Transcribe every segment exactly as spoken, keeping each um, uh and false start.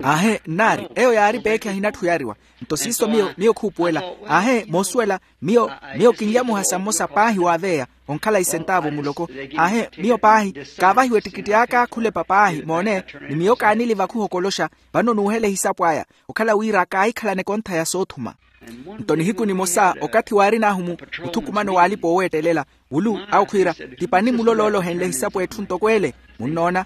Aahe nnaari eyo yaari peekhi ahinatthu yariwa. Nto siiso miyo miyo khuupuwela. Aahe moosuwela, miyo miyo kinlya muhasa mmosa paahi waaveya onkhala isentaavu muloko. Aahe miyo paahi kaavahiwa ettikitti aka khulepa paahi moone. Ni miyo kaanili vakhuhokoloxa vano nuuhela ehisapo aya okhala wira kaahikhalana ekontha ya soothuma. Nto nihiku nimosa okathi waarin'ahu mu muthukumano w'alipa ooweettelela wulu awo khwiira ti pani muloloolo ohenle ehisapo etthu ntoko ele. Munnoona?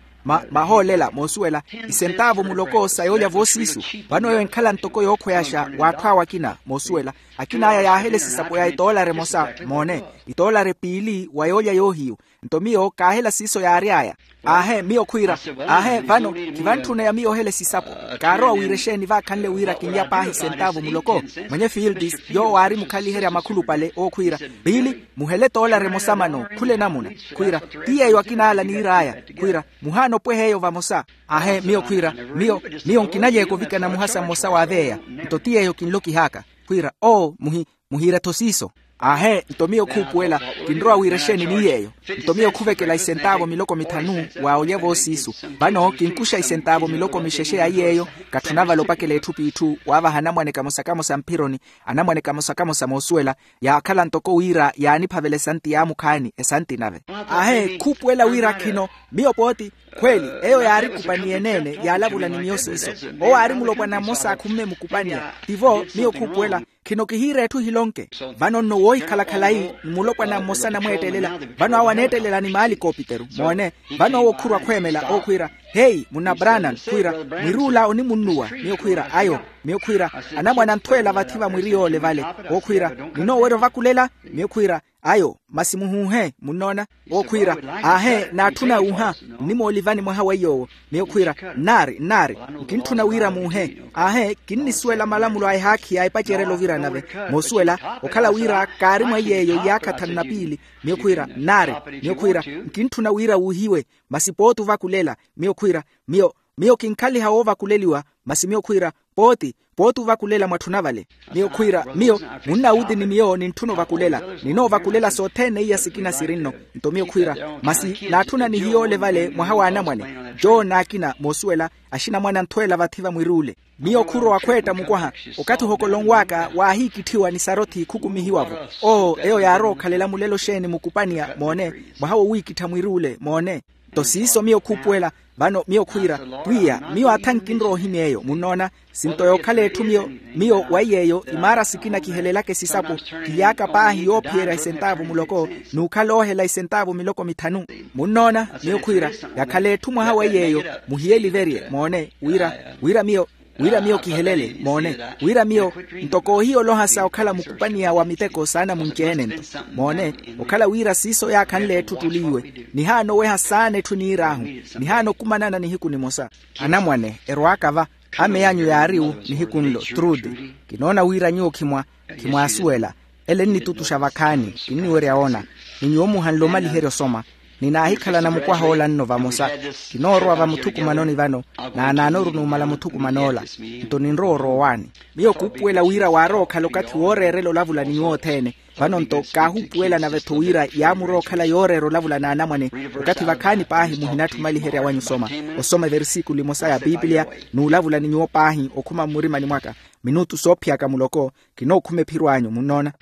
Mahoolela moosuwela isentaavu muloko sa yoolya voosiisu. Vano eyo enkhala ntoko yookhweyaxa w'atthu awo akina moosuwela. Akin'aya yaahela esisapo ya etoolari emosa moone, etoolari piili wa yoolya yoohiyu. Nto miyo kaahela siiso yaary'aya. Aahe miyo khwiira aahe vano khivantthuna ya miyo ohela esisapo. Kaarowa wira exeeni vaakhanle wira kinlya paahi sentaavu muloko. Mwenye fields yoowo aari mukhaliherya makhulupale owo khwiira piili muhele toolari emosa mano khula enamuna. Khwiira ti yeeyo akinaala niir'aya khwiira muhaana opweha eyo vamosa. Aahe miyo khwiira miyo miyo nkinaly'eka ovikana muhasa mmosa waaveya. Nto ti yeeyo kinlokih'aka khwiira oo muhi muhiira-tho siiso. Aahe nto miyo khuupuwela kinrowa wira exeeni ni yeeyo. Nto miyo khuvekela isentaavu miloko mithanu wa olya voosiisu. Vano kinkuxa isentaavu miloko mixexe ya iy'eyo. Katthuna vale opakela etthu p'itthu waavaha anamwane kamosa kamosa mphironi anamwane kamosa kamosa moosuwela. Yaakhala ntoko wira yaaniphavela esanti yaamukhaani esanti nave. Aahe khuupuwela wira khino miyo pooti khweeli eyo yaarikupaniye eneene yaalavula ni miyo siiso. Owo aari mulopwana mmosa akhumme mukupaniya tivo miyo khuupuwela khino kihiira etthu ehilonke. Vano nno woohikhala khalayi ni mulopwana mmosa anamweettelela. Vano awo aneettelela ni maalikopiteru moone. Vano owo khurwa khweemela owo khwiira heyi munna branan khwiira mwiri ula onimunnuwa miyo khwiira ayo. Miyo khwiira anamwane anthweela vathi va mwiri yoole vale owo khwiira ninoowerya ovakulela. Miyo khwiira ayo masi muhuuhe munnoona. Owo khwiira aahe naatthuna wuuha nnimoolivani mwaha wa iy'owo. Miyo khwiira nnaari nnaari nkintthuna wira muuhe. Aahe kinnisuwela malamulo a ehaakhi ya epacerelo ovira nave moosuwela okhala wira kaari mwa iy'eyo iyaakha thanu na piili. Miyo khwiira nnaari miyo khwiira nkintthuna wira wuuhiwe masi pooti ovakulela. Miyo khwiira miyo miyo kinkhaliha woovakuleliwa masi miyo khwiira pooti pooti ovakulela mwatthuna vale. Miyo khwiira miyo munnawuti ni miyo nintthuna ovakulela ninoovakulela sothene iya sikina siri nno. Nto miyo khwiira masi naatthuna nihiyoole vale mwaha w'anamwane joo n'akina moosuwela axinamwane anthweela vathi va mwiri ule. Miyo khurowa khweetta mukwaha okathi ohokolonw'aka waahiikitthiwa ni sarothi khukumihiwa-vo. Oo eyo yaarowa okhalela mulelo xeeni mukupaniya moone mwaha wowiikittha mwiri ule moone. Nto siiso miyo khuupuwela vano miyo khwiira pwiya miyo atha nkinrowa ohimya eyo munnoona. Sinto yookhala etthu miyo miyo wa iy'eyo imaara sikina kihelelaka esisapo kily'aka paahi yoophiyerya esentaavu muloko n'ukhala oohela esentaavu miloko mithanu. Munnoona miyo khwiira yakhala etthu mwaha wa iy'eyo muhiyeliverye moone wira wira miyo wira miyo kihelele moone wira miyo ntoko ohiya olohasa okhala mukupaniya wa miteko saana munci-ene nto moone okhala wira siiso yaakhanle etthu ttuliiwe. Nihaana oweha saana etthu niir'ahu nihaana okumanana nihiku nimosa. Anamwane erwaaka va ameyanyu yaari-wo nihiku nlo trude kinoona wira nyuwo khimwa khimwaasuwela ele nnitutuxa vakhaani kinniwerya woona ni nyuwo muhanle omaliherya osoma. Ninaahikhalana mukwaha ola nno vamosa kinoorowa vamuthukumanoni vano naanaanoru numala muthukuman'ola nto ninrowa orowa owaani. Miyo khuupuwela wira waarowa okhala okathi wooreerela olavula ni nyuwo othene. Vano nto kaahuupuwela nave-tho wira yaamurowa okhala yooreera olavula n'anamwane okathi vakhaani paahi muhinatthi omaliherya wanyu osoma osoma eversikulu emosa ya pipiliya n'ulavula ni nyuwo paahi okhuma mmurimani mwaka minutu soophiyaka muloko. Kinookhuma ephiro anyu munnoona.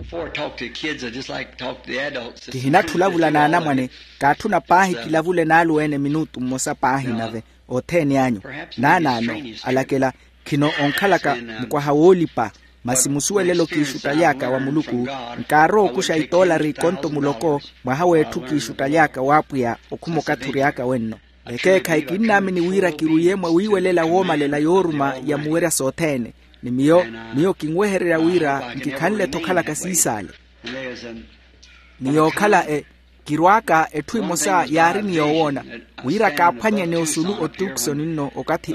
Before I talk to the kids I just like to talk to the adults. Kihinatthi olavula n'anamwane kaatthuna paahi kilavule n'aluweene minutu mmosa paahi nave othene anyu naanaano alakela khino onkhalaka mukwaha woolipa. Masi musuwelelo kiixuttaly'aka wa muluku nkaarowa okuxa itoolari ikonto muloko mwaha w'etthu kiixuttaly'aka w'apwiya okhuma okathi ory'aka wenno. Ekeekhayi kinnaamini wira kirwiye mwa wiiwelela woomalela yooruma ya muwerya sothene. Ni miyo miyo kinwehererya wira nkikhanle-tho okhalaka siisaale. Ni yookhala e kirwaaka etthu emosa yaari ni yoowoona wira kaaphwanyene osulu otuksoni nno okathi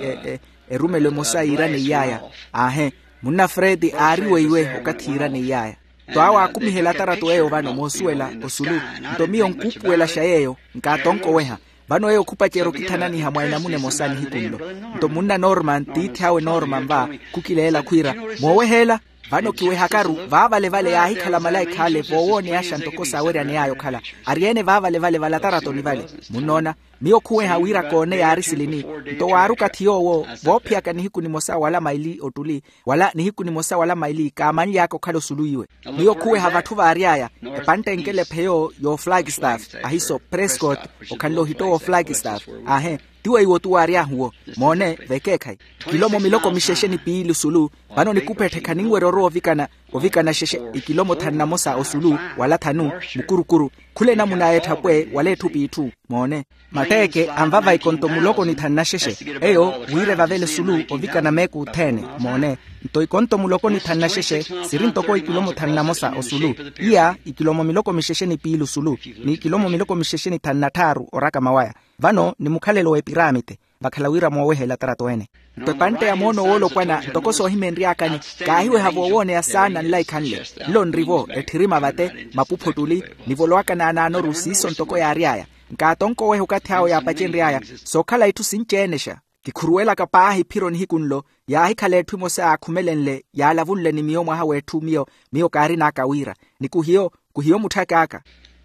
erumelo emosa yiiraneiy'aya. Aahe munna fredi aari weiwe okathi yiiraneiy'aya. Nto awo aakumihela atarato eyo vano moosuwela osulu. Nto miyo nkuupuwelaxa yeeyo nkaatonkoweha. Vano eyo khupacerya okithananiha mwa enamuna emosa nihiku nlo. Nto munna norman tiithi awe norman va khukileela khwiira mooweheela. Vano kiwehakaru vaavale vale yaahikhala malaikha ale voowooneyaxa ntoko saaweryaney'aya okhala. Ari-ene vaavale vale vale ataratoni vale munnoona. Miyo khuweha wira koone yaari silini. Nto waari okathi yoowo voophiyaka nihiku nimosa wala maili ottuli, wala nihiku nimosa wala maili kaamanly'aka okhala osulu iwe. Miyo khuweha vatthu vaary'aya, epantte enkele pheyo y'oflagstaff, ahiso prescott, okhanle ohitto w'oflagstaff. Aahe, ti weiwo tu waary'ahu wo. Moone vekeekhayi, kilomo miloko mixexe ni piili osulu. Vano nikupetthekha ninwerya orowa ovikana, ovikana xexe, ikilomo thanu na mosa osulu, wala thanu, mukurukuru, khula enamuna y'etthapwe wala etthu p'itthu. Moone, matteeke anvava ikonto muloko ni thanu na xexe. Eyo wira evavele osulu ovikana meeku othene. Moone, nto ikonto muloko ni thanu na xexe siri ntoko ikilomo thanu na mosa osulu. Iya ikilomo miloko mixexe ni piili osulu, ni ikilomo miloko mixexe ni thanu na tthaaru orakama waya. Vano ni mukhalelo w'epiramite, vakhala wira moowehela tarato ene. Nto epantte ya moono woolopwana ntoko soohimenry'akani, kaahiweha voowooneya saana nlaikhanle. Nlo nri-vo etthirima vate, mapupho ttuli, nivolowaka naanaanoru siiso ntoko yaary'aya. Nkaatonkoweha okathi awo yaapacenry'aya, sookhala itthu sinci-enexa. Kikhuruwelaka paahi phiro nihiku nlo, yaahikhala etthu emosa yaakhumelenle yaalavunle ni miyo mwaha w'etthu miyo, miyo kaarin'aka wira. Ni kuhiyo, kuhiyo mutthak'aka.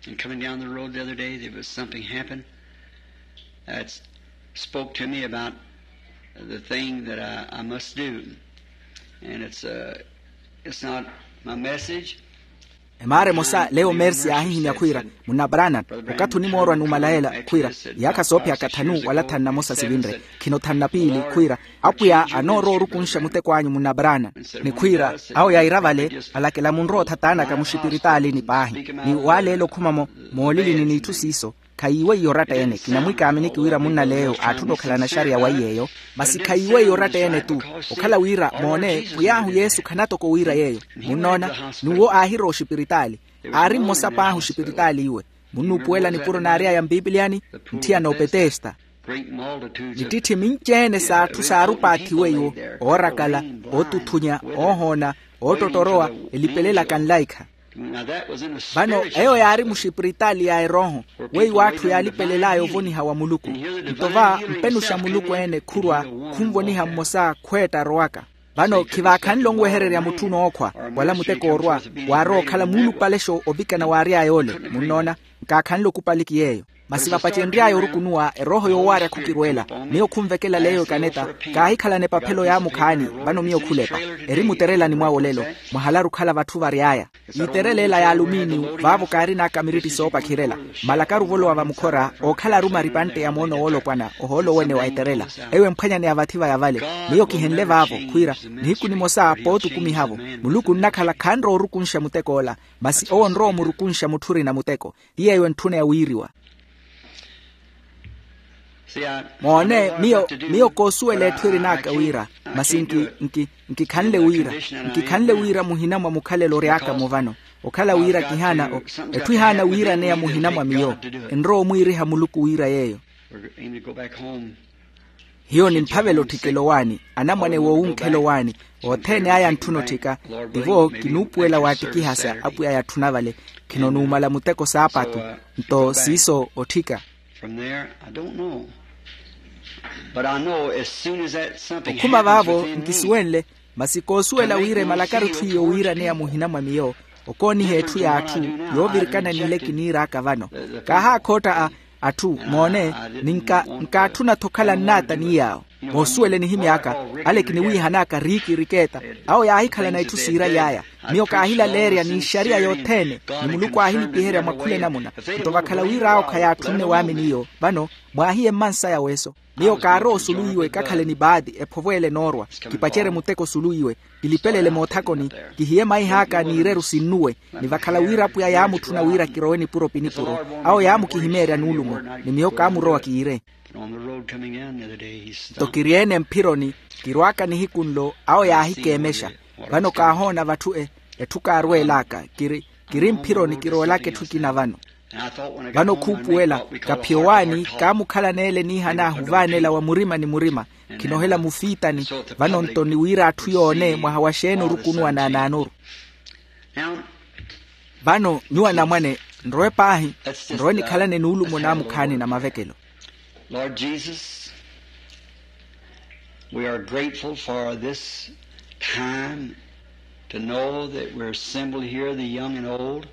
And coming down the road the other day, there was something happened that spoke to me about the thing that I, I must do. And it's, uh, it's not my message. Emaara emosa leyo mersi yaahihimya khwiira, munna branham, okathi onimoorwa numala ela khwiira, iyaakha soophiyaka thanu wala thanu na mosa sivinre, khino thanu na piili khwiira, apwiya anoorowa orukunxa muteko anyu munna branham. Ni khwiira, awo yaira vale, alakela munrowa othataanaka muxipiritalini paahi. Ni waaleela okhuma-mo moolilini n'itthu siiso, khayiiweiye oratta-ene. Kinamwiikaamini kiwira munna leyo aatthuna okhalana xariya wa iy'eyo, masi khayiiweiye oratta-ene-tu. Okhala wira moone pwiy'ahu yesu khanatoko wiira yeeyo. Munnoona, n'uwo aahirowa oxipiritaali. Aari mmosa paahi oxipiritaali iwe. Munnuupuwela nipuro naary'aya mpipiliyani, nthiyana opetesta. Vittitthe minci-ene s'atthu saarupaathiwe iwo, oorakala, ootuthunya, oohoona, ootottorowa, elipelelaka nlaikha. Vano eyo yaari muxipiritaali ya erooho, weiwo atthu yaalipelel'aya ovoniha wa muluku. Nto va mpenuxa muluku-ene khurwa, khunvoniha mmosa khweetta arowaka. Vano khivaakhanle onwehererya mutthu onookhwa, wala muteko orwa, waarowa okhala muulupalexo ovikana waary'aya ole. Munnoona, nkaakhanle okupali ki yeeyo. Masi vapacenry'aya orukunuwa erooho yoowaarya khukirweela. Miyo khunvekela leeyo ekaneta, kaahikhalana epaphelo yaamukhaani. Vano miyo khulepa, eri muterelani mwawe olelo, mwahalaru okhala vatthu vary'aya. Iiterela ela ya aluminiyu vaavo kaarin'aka miritti soopakhirela. Malakaru ovolowa vamukhora ookhala aruma aripantte ya moono woolopwana ohoolo wene wa eterela. Eyo emphwanyaneya vathi vaya vale. Miyo kihenle vaavo khwiira, nihiku nimosa pootukumiha-vo, muluku onnakhala khanrowa orukunxa muteko ola. Masi owo onrowa omurukunxa mutthu orina muteko. Ti yeeyo entthuna ya wiiriwa. Moone, miyo miyo koosuwela etthu erin'aka wira, masi nki nki nkikhanle wira, nkikhanle wira muhina mwa mukhalelo ory'aka-mo vano. Okhala wira kihaana, etthu ihaana wiiraneya muhina mwa miyo. Enrowa omwiiriha muluku wira yeeyo. Hiyo nimphavela otthikela owaani, anamwane woowunkhela owaani, othene aya antthuna otthika. Tivo kinuupuwela waattikihasa apwiya yatthuna vale. Khino numala muteko saapatu. Nto siiso otthika. Okhuma vaavo nkisuwenle. Masi koosuwela wira emalakari etthu iyo wiiraneya muhina mwa miyo, okooniha etthu y'atthu yoovirikana n'ile kiniir'aka vano. Kaahaakhotta a atthu moone, ni nkaatthuna-tho okhala nnaata ni yaawo. Moosuwele nihimy'aka, ale kiniwiihan'aka riikirikeeta. Awo yaahikhalana itthu siiraly'aya. Miyo kaahilaleerya n'ixariya yothene, ni muluku aahinipiherya mwa khula enamuna. Nto vakhala wira awo khayaatthunne waamini iyo vano, mwaahiye mmansaya weso. Miyo kaarowa osulu iwe kakhale ni baati ephovweele enoorwa. Kipacerye muteko osulu iwe, kilipelele moothakoni, kihiye maih'aka n'ireru sinnuwe. Ni vakhala wira apwiya yaamutthuna wira kirowe nipuro pi nipuro. Awo yaamukihimeerya nuulumo, ni miyo kaamurowa kiire. Nto kiri-ene mphironi, kirwaaka nihiku nlo awo yaahikeemexa. Vano kaahoona vatthu etthu kaarweel'aka. Kiri mphironi kiroolaka etthu ekina vano. Vano khuupuwela, kaphiya owaani kaamukhalana ele niihan'ahu ovaanela wa murima ni murima. Khinohela mufiitani. Vano nto ni wira atthu yoone mwaha wa xeeni orukunuwa naanaanoru. Vano nyuwo anamwane, nrowe paahi, nrowe nikhalane nuulumo naamukhaani na mavekelo. Lord Jesus, we are grateful for this time to know that we're assembled here, the young and old,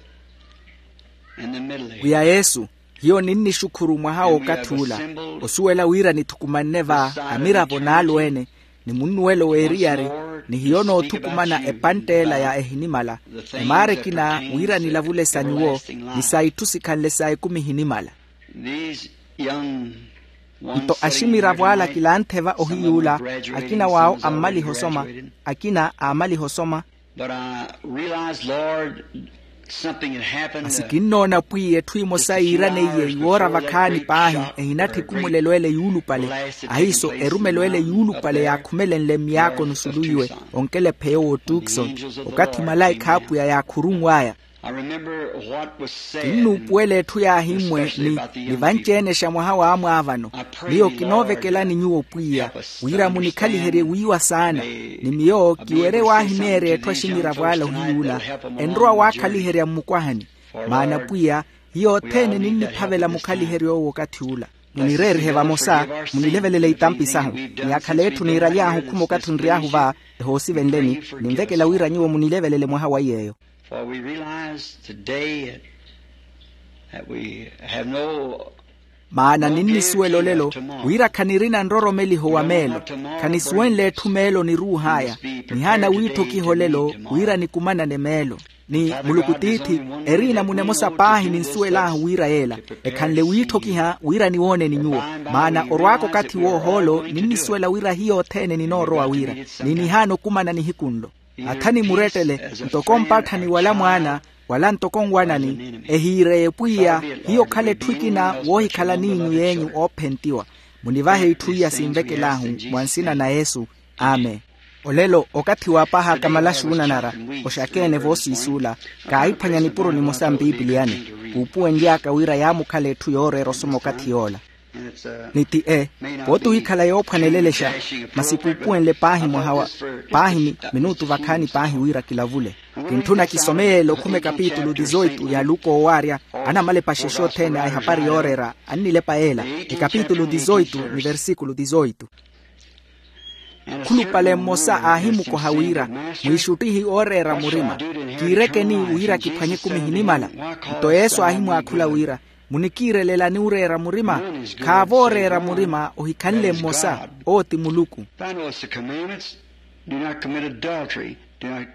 and the middle age. Pwiya yesu, Hiyo ninnixukhuru mwaha w'okathi ula, osuwela wira nithukumanne va amiravo n'alweene, ni munnuwelo w'eriyari, ni hiyo noothukumana epantteela ya ehinimala, ni maara ekina wira nilavule sa nyuwo, ni sa itthu sikhanle sa ekumi ehinimala. Nto aximiravo ala kilanttheva ohiyuula, akina w'awo ammaliha osoma, akina aamaliha osoma. Masi kinnoona pwiya etthu emosa yiiraneiye iwoora vakhaani paahi, ehinatthi ekumulelo ele yuulupale. Ahiiso erumelo ele yuulupale yaakhumelenle mmiyaakoni osulu iwe, onkelephe yoowo tuksoni, okathi malaikha a apwiya yaakhurunw'aya. Kinnuupuwela etthu yaahimmwe ni vanci-ene xa mwaha w'amwaavano. Miyo kinoovekelani nyuwo pwiya, wira munikhaliherye wiiwa saana. Ni miyo kiwerye waahimeerya etthu aximiravo ala ohiyuula, enrowa waakhaliherya mmukwahani. Maana pwiya, hiyo othene ninniphavela mukhaliheryo owo okathi ula. Munireerihe vamosa, munilevelele itampi sahu. Ni akhala etthu niiraly'ahu okhuma okathi onry'ahu va, ehoosivenleni, ninvekela wira nyuwo munilevelele mwaha wa iy'eyo. Maana ninnisuwela olelo wira khanirina nroromeliho wa meelo. Khanisuwenle etthu meelo niruuh'aya. Nihaana wiitthokiha olelo wira nikumanane meelo. Ni muluku tiithi, erina munemosa paahi ninsuwel'ahu wira yeela ekhanle wiitthokiha wira niwooneni nyuwo. Maana orwaaka okathi w'ohoolo ninnisuwela wira hiyo othene ninoorowa wira, ni nihaana okumana nihiku nlo. Athani murettele, ntoko mpatthani wala mwaana, wala ntoko nwanani, ehiireye pwiya. Hiyo okhala etthu ekina woohikhala n'inyu y'enyu oophentiwa. Munivahe itthu iya sinvekel'ahu mwa nsina na yesu. Amen. Olelo okathi waapah'aka malaxuuna nara, oxakeene voosiisuula, kaahiphwanya nipuro nimosa mpipiliyani, kuupuwenly'aka wira yaamukhala etthu yooreera osoma okathi yoola. Ni ti e, pooti ohikhala yoophwanelelexa, masi kuupuwenle paahi mwaha wa paahi minutu vakhaani paahi wira kilavule. Kintthuna kisome yeela okhuma ekapitulu dizoitu ya luka owaarya. Anamalepa axexe othene a ehapari yooreera annilepa yeela, ekapitulu dizoitu ni versikulu dizoitu. Khulupale mmosa aahimukoha wira, mwiixuttihi ooreera murima, kiirekeni wira kiphwanye ekumi ehinimala? Nto yesu aahimwaakhula wira, munikiirelelani ooreera murima? Khaavooreera murima ohikhanle mmosa, owo ti muluku.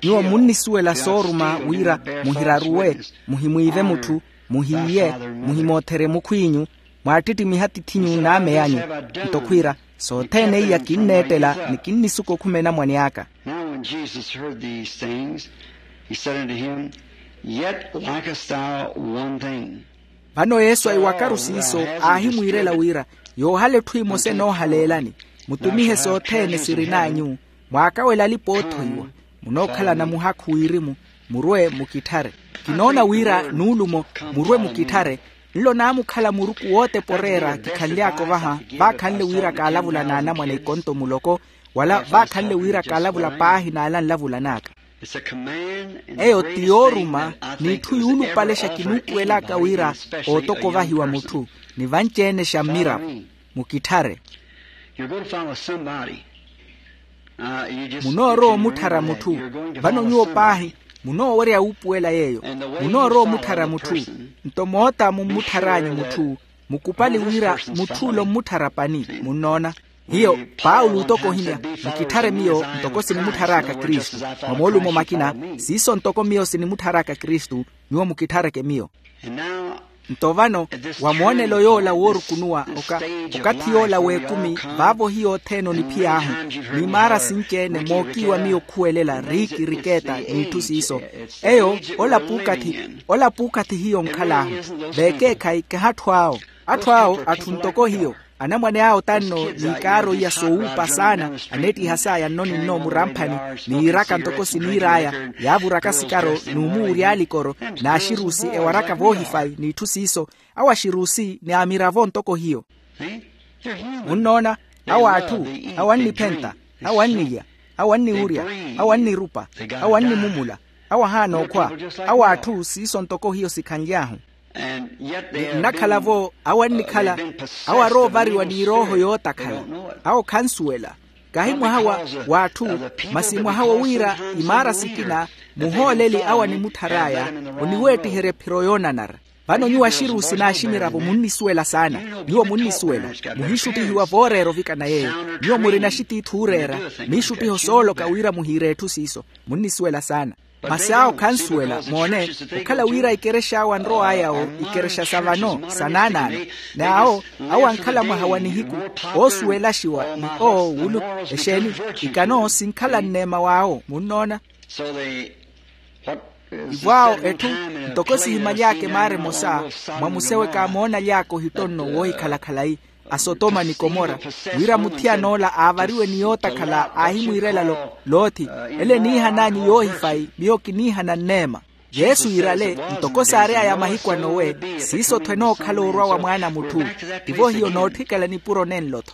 Nyuwo munnisuwela sooruma wira, muhiraruwe, muhimwiive mutthu, muhiiye, muhimootherye mukhw'inyu, mwaattittimiha atithinyu n'ame anyu. Nto khwiira, sothene iya kinneettela ni kinnisuka okhuma enamwane aka. Now when Jesus heard these things, he said unto him, Yet lackest thou one thing. Vano yesu aiwakaru siiso, aahimwiirela wira, yoohala etthu emosa enoohaleelani, mutumihe sothene sirin'anyu, mwaakawela alipa oothoiwa, munookhalana muhakhu wirimu, murwe mukitthare. Kinoona wira nuulumo, murwe mukitthare. Nlo naamukhala muruku wootepa oreera kikhanly'aka ovaha, vaakhanle wira kaalavula n'anamwane ikonto muloko, wala vaakhanle wira kaalavula paahi n'ala nlavulan'aka. Eyo ti yooruma, n'itthu yuulupalexa kinuupuwel'aka wira ootoko ovahiwa mutthu, ni vanci-ene xa mmiravo. Mukitthare. Munoorowa omutthara mutthu. Vano nyuwo paahi munoowerya wuupuwela yeeyo. Munoorowa omutthara mutthu. Nto moota mummutthar'anyu mutthu, mukupali wira mutth'ule ommutthara pani. Munnoona? Hiyo paulo otoko ohimya, mukitthare miyo ntoko sinimutthar'aka kristu. Mwa moolumo makina, siiso ntoko miyo sinimutthar'aka kristu, nyuwo mukithareke miyo. Nto vano, wa moonelo yoola woorukunuwa okathi yoola w'ekumi, vaavo hiyo othene oniphiy'ahu, ni maara sinci-ene mookiiwa miyo okhuwelela riiki rikeeta n'itthu siiso. Eyo, ola puukathi hiyo onkhal'ahu. Veekeekhayi kahi atthu awo. Atthu awo atthu ntoko hiyo. Anamwane awo tanno, n'ikaaro iya soowuupa saana, aneettiha saya nno ni nno muramphani, n'iiraka ntoko siniir'aya, yaavuraka sikaro n'umuwurya alikoro, n'axirusi ewaraka voohifayi n'itthu siiso. Awo axirusi ni amiravo ntoko hiyo. Munnoona? Awo atthu, awo anniphenta, awo annilya, awo anniwurya, awo annirupa, awo annimumula, awo ahaana okhwa. Awo atthu siiso ntoko hiyo sikhanly'ahu. Ni nnakhala-vo awo annikhala, awo aroovariwa ni erooho yootakhala. Awo khansuwela. Kahi mwaha wa w'atthu, masi mwaha wowira imaara sikina, muhooleli awo animutthar'aya oniweettiherya ephiro yoonanara. Vano nyuwo axiruusi n'aximiravo munnisuwela saana. Nyuwo munnisuwela, muhiixuttihiwa vooreera ovikana yeeyo. Nyuwo murina axitiithi ooreera, miixuttiho sooloka wira muhiire etthu siiso. Munnisuwela saana. Masi awo khansuwela moone, okhala wira ikerexa awo anrow'aya-wo, ikerexa sa vano sa naanaano. N'awo, awo ankhala mwaha wa nihiku, oosuwelaxiwa ni owo wulu, exeeni, ikano sinkhala nneema w'awo munnoona. Ivo awo etthu, ntoko sihimaly'aka emaara emosa, mwa museweka amoonaly'aka ohittonno woohikhala khalayi, a sotoma ni komora, wira muthiyan'ola aavariwe ni yootakhala aahimwiirela lo, loothi, ele eniihan'anyu yoohifayi miyo kiniihana nneema. Yesu iirale, ntoko saary'aya mahiku a nowe, siiso-tho enookhala orwa wa mwaana a mutthu. Tivo hiyo nootthikela nipuro nenlo-tho.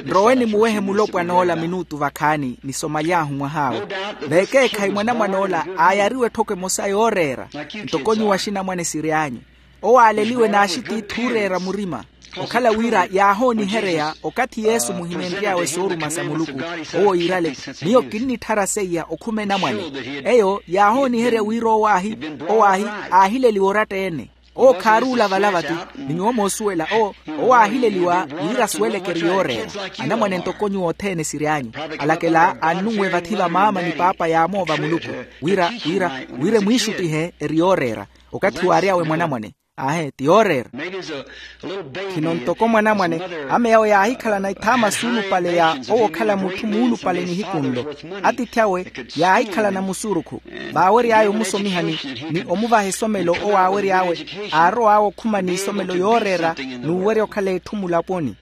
Nrowe nimuwehe mulopwan'ola minuutu vakhaani nisomaly'ahu mwah'awe. Veekeekhayi mwanamwan'ola aayariwe etthoko emosa yooreera, ntoko nyuwo axinamwane siry'anyu. Owo aaleliwe n'axitiithi ooreera murima, okhala wira yaahoonihereya okathi yesu muhinenry'awe sooruma sa muluku. Owo iirale, miyo kinnitthara seiya okhuma enamwane. Eyo yaahooniherya wira owo aahi, owo aahi, aahileliwa oratta-ene. Owo khaaruula vala vati, ni nyuwo moosuwela owo, owo aahileliwa wira asuweleke eri yooreera. Anamwane ntoko nyuwo othene siry'anyu, alakela annunwe vathi va maama ni paapa yaamoova muluku, wira wira wira emwiixuttihe eri yooreera. Okathi waary'awe mwanamwane, aahe ti yooreera. Khino ntoko mwanamwane, ame awe yaahikhalana ithaama suulupale ya owo okhala mutthu muulupale nihiku nlo. Atiithi awe yaahikhalana musurukhu, vaawery'aya omusomihani, ni omuvaha esomelo owo aawery'awe, aarow'awe okhuma n'isomelo yooreera, n'uwerya okhala etthu mulaponi.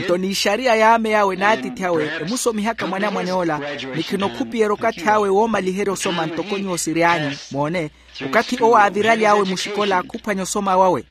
Nto n'ixariya y'ame awe n'atiithi awe emusomihaka mwanamwane ola, ni khinokhupiyerya okathi awe woomaliherya osoma ntoko nyuwo siry'anyu. Moone, okathi owo aaviraly'awe muxikola khuphwanya osoma wawe.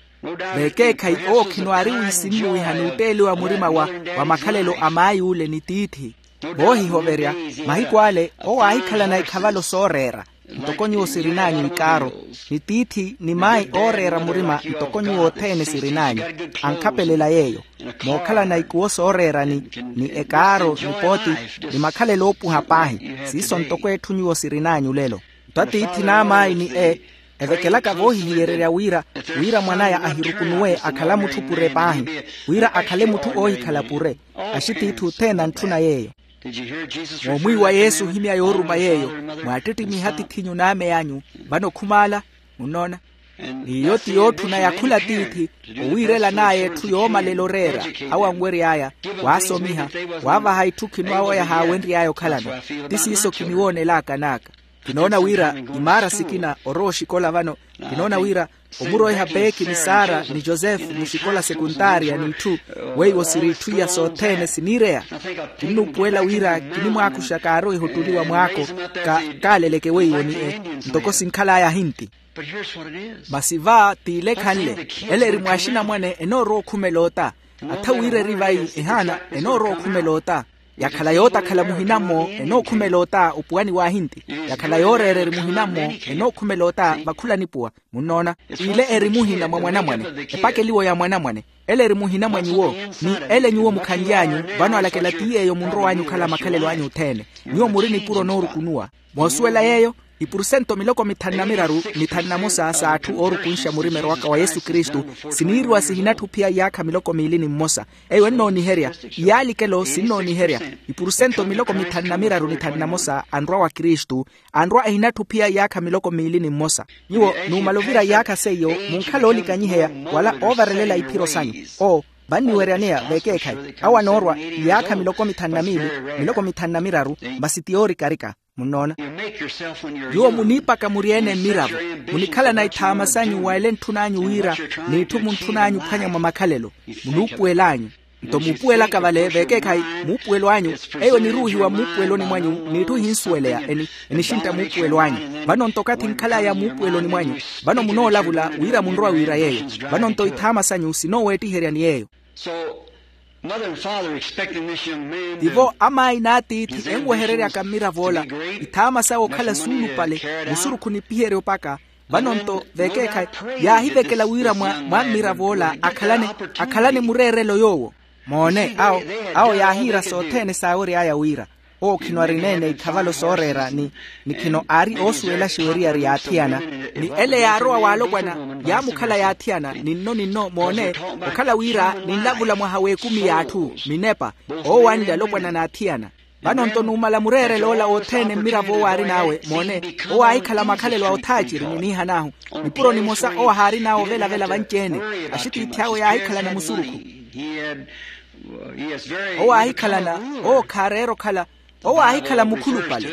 Veekeekhayi owo khino aari wiisinnuwiha n'utteeliwa murima wa wa makhalelo a maay'ule ni tiithi. Voohihoverya, mahiku ale owo aahikhalana ikhavalo sooreera, ntoko nyuwo sirin'anyu ikaaro, ni tiithi ni mayi ooreera murima ntoko nyuwo othene sirin'anyu. Ankhapelela yeeyo, mookhalana ikuwo sooreerani, ni ekaaro ni pooti, ni makhalelo oopuha paahi. Siiso ntoko etthu nyuwo sirin'anyu lelo. Nto atiithi n'amayi ni e evekelaka voohihiyererya wira, wira mwan'aya ahirukunuwe akhala mutthu pure paahi, wira akhale mutthu oohikhala pure. Axitiithi othene antthuna yeeyo. Moomwiiwa yesu ohimya yooruma yeeyo, mwaattittimiha atiith'inyu n'ame anyu. Vano khumaala, munnoona. N'iyo ti yootthuna ya khula atiithi, owiirelan'aya etthu yoomalela oreera, awo anwery'aya, waasomiha, waavaha itthu khino awo yahaawenry'aya okhalano. Ti siiso kiniwoonelaka n'aka. Kinoona wira imaara sikina orowa oxikola vano. Kinoona wira omuroiha peeki ni sara ni josefu muxikola sekuntaariya n'itthu, weiwo siri itthu iya sothene siniireya. Kinnuupuwela wira kinimwaakuxa kaaroiha ottuli wa mwaako, kaaleleke weiwo ni e, ntoko sinkhal'aya ahinti. Masi va t'ile ekhanle, ele eri mwaaxinamwane enoorowa okhumela ota. Atha wira eri vayi ehaana enoorowa okhumela ota. Yakhala yootakhala muhina-mmo enookhumela ota opuwani w'ahinti. Yakhala yooreera eri muhina-mmo enookhumela ota vakhula nipuwa. Munnoona, ile eri muhina mwa mwanamwane, epakeliwo ya mwanamwane. Ele eri muhina mwa nyuwo, ni ele nyuwo mukhanly'anyu. Vano alakela ti yeeyo munrow'anyu okhala makhalelo anyu othene. Nyuwo muri nipuro noorukunuwa. Moosuwela yeeyo, ipurusento miloko mithanu na miraru ni thanu na mosa s'atthu oorukunxa murimero waka wa yesu kristu, siniiriwa sihinatthi ophiya iyaakha miloko miili ni mmosa. Eyo ennooniherya, iyaalikelo sinnooniherya. Ipurusento miloko mithanu na miraru ni thanu na mosa anrwa wa kristu, anrwa ehinatthi ophiya iyaakha miloko miili ni mmosa. Nyuwo numala ovira iyaakha seiyo, munkhala oolikanyiheya wala oovarelela iphiro sanyu. Oo, vanniweryaneya veekeekhayi. Awo anoorwa iyaakha miloko mithanu na miili, miloko mithanu na miraru, masi ti yoorikarika. Munnoona? Nyuwo muniipaka muri-ene mmiravo, munikhalana ithaama sanyu wa ele entthun'anyu wira, n'itthu muntthun'anyu ophwanya mwa makhalelo. Munuupuwel'anyu. Nto muupuwelaka vale veekeekhayi, muupuwelo anyu, eyo eniruuhiwa mmuupuweloni mwanyu, n'itthu ehinsuweleya enixintta muupuwelo anyu. Vano nto okathi nkhal'aya muupuweloni mwanyu, vano munoolavula wira munrowa wira yeeyo. Vano nto ithaama sanyu sinooweettiherya ni yeeyo. Tivo amaayi n'atiithi enwehereryaka mmirav'ola, ithaama sawe okhala suulupale, musurukhu nipiherye opaka. Vano nto veekeekhayi, yaahivekela wira mwa mmirav'ola akhalane akhalane mureerelo yoowo. Moone awo, awo yaahiira sothene saawery'aya wira Owo khino ari neene ikhavalo sooreera ni ni khino aari oosuwelaxa weriyari yaathiyana. Ni ele yaarowa waalopwana yaamukhala yaathiyana ninno ninno moone okhala wira ninlavula mwaha w'ekumi y'atthu minepa owo anli alopwana n'athiyana. Vano-nto numala mureerel'ola othene mmiravo owo aarin'awe moone owo aahikhala makhalelo a othaaciri niniihan'ahu. Nipuro nimosa owo ahaarin'awe ovelavela vanci-ene axitiithi awe yaahikhalana musurukhu. Owo aahikhalana owo khaareera okhala owo aahikhala mukhulupale.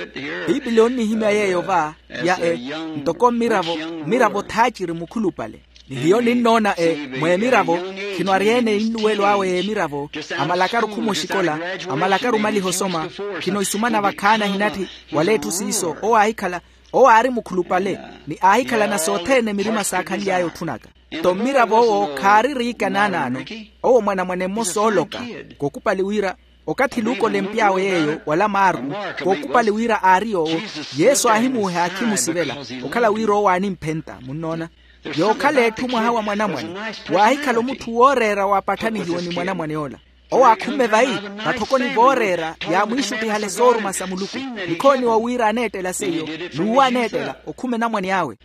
Piipili onnihimya yeeyo va ya e ntoko mmiravo mmiravo thaaciri mukhulupale. Ni hiyo ninnoona e mweemiravo khino ari-ene ennuwelo awe y'emiravo amalakaru khuma oxikola amalakaru omaliha osoma. Khino isumana vakhaani ahinatthi wala etthu siiso owo aahikhala owo aari mukhulupale ni aahikhalana sothene mirima saakhanly'aya otthunaka. Nto mmiravo owo khaaririika naanaano owo mwanamwane mmosa ooloka kokupali wira okathi luuka olempy'awe yeeyo wala maaru kokupali wira aari yoowo yesu aahimuuhe aakhimusivela okhala wira owo aanimphenta munnoona. Yookhala etthu mwaha wa mwanamwane waahikhala omutthu wooreera waapatthanihiwe ni mwanamwane ola owo aakhumme vayi vatthokoni vooreera yaamwiixuttihale sooruma sa muluku. Nikhooniwa wira aneettela seiyo n'uwo aneettela okhume namwane awe.